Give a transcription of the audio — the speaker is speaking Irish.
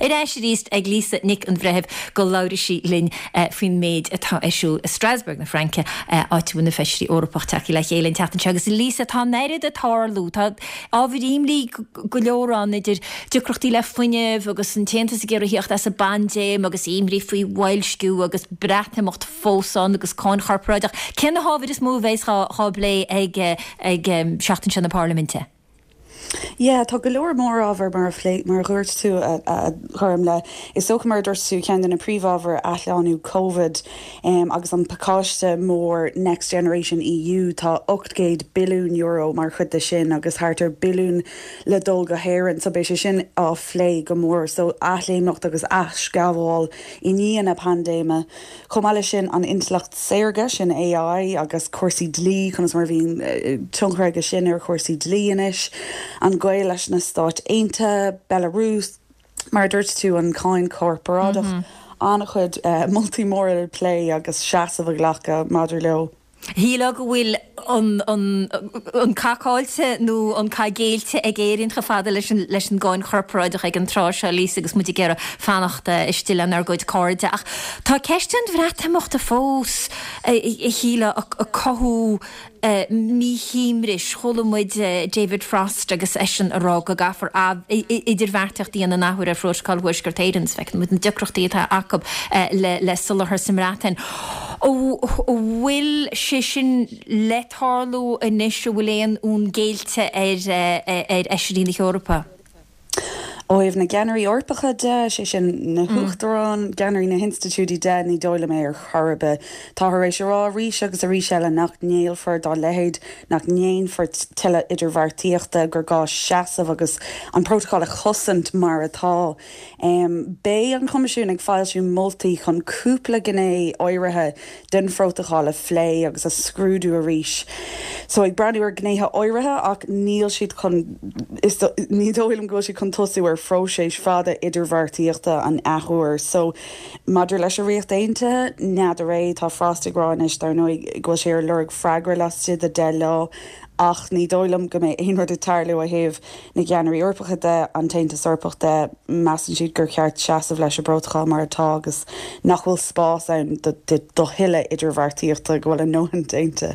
Ar ais arís ag Lisa Nic an Bhreithimh go labhraíonn sí linn faoin méid atá ar siúl i Strasbourg na Fraince, áit a bhfuil na Feisirí Eorpach tagtha le chéile an tseachtain seo. Agus Lisa, tá an oiread ag tarlú, tá ábhair imní go leor ann idir deacrachtaí le fuinneamh agus an tAontas ag iarraidh theacht as an bpaindéim agus imní faoi bhoilsciú agus Breatimeacht fós ann agus cáin chorparáideach. Cé na hábhair is mó a bheas á bplé ag seachtain seo na Parlaiminte? Yeah, tá go leor mórábhar mar a phlé, mar a dhúirt tú, a Ghormfhlaith. Is dócha, mar a dúirt tú, ceann de na príomhábhair, athshlánú Covid agus an pacáiste mór Next Generation EU, tá €800 billiún mar chuid de sin agus thart ar billiún le dul go hÉirinn, so beidh sé sin á phlé go mór. So athléimneacht agus aisghabháil i ndiaidh na paindéime. Chomh maith leis sin, an intleacht saorga, sin AI, agus cúrsaí dlí, conas mar a bhíonn tionchar aige sin ar chúrsaí dlí anois, an gaol leis na Stáit Aontaithe, Belarus, mar a dúirt tú, an cáin chorparáideach, an-chuid moltaí móra le plé agus seasamh a ghlacadh maidir leo. Shílfeá go bhfuil an cath caillte nó an cath géillte ag Éirinn chomh fada leis an gcáin chorparáideach ag an tráth seo, Lisa, agus muid ag iarraidh fanacht istigh lenár gcuid cairde. Ach tá ceist an Bhreatimeachta fós, a shílfeá, ag cothú míshuaimhnis. Chuala muid David Frost agus eisean ag rá go gcaithfear idirbheartaíocht a dhéanamh an athuair ar Phrótacal Thuaisceart Éireann. Feiceann muid na deacrachtaí atá acu le soláthar sa mBreatain. An bhfuil sé sin le tarlú anois? An bhfuil aon fhonn géillte ar Fheisirí na hEorpa? Ó thaobh na gceannairí Eorpacha de, sé sin na huachtaráin, ceannairí na hinstitiúidí de, ní dóigh liom é ar chor ar bith. Táthar tar éis a rá arís agus arís eile nach ngéillfear dá leithéid, nach ndéanfar tuilleadh idirbheartaíochta, gur gá seasamh agus an prótacal a chosaint mar atá. Beidh an Coimisiún ag foilsiú moltaí chun cúpla gné áirithe den phrótacal a phlé agus a scrúdú arís. So ag breathnú ar ghnéithe áirithe ach níl siad chun, is, ní dóigh liom go bhfuil siad chun tosú ar phróiseas fada idirbheartaíochta an athuair. So maidir leis an Ríocht Aontaithe, n'fheadar é, tá Frost ag rá anois dar ndóigh go bhfuil sé ar lorg freagra laistigh de 10 lá ach ní dóigh liom go mbeidh aon rud ag tarlú ó thaobh na gceannairí Eorpacha de, an tAontas Eorpach de, measann siad gur cheart seasamh leis an bprótacal mar atá agus nach bhfuil spás ann do thuilleadh idirbheartaíochta, go bhfuil a ndóthain déanta.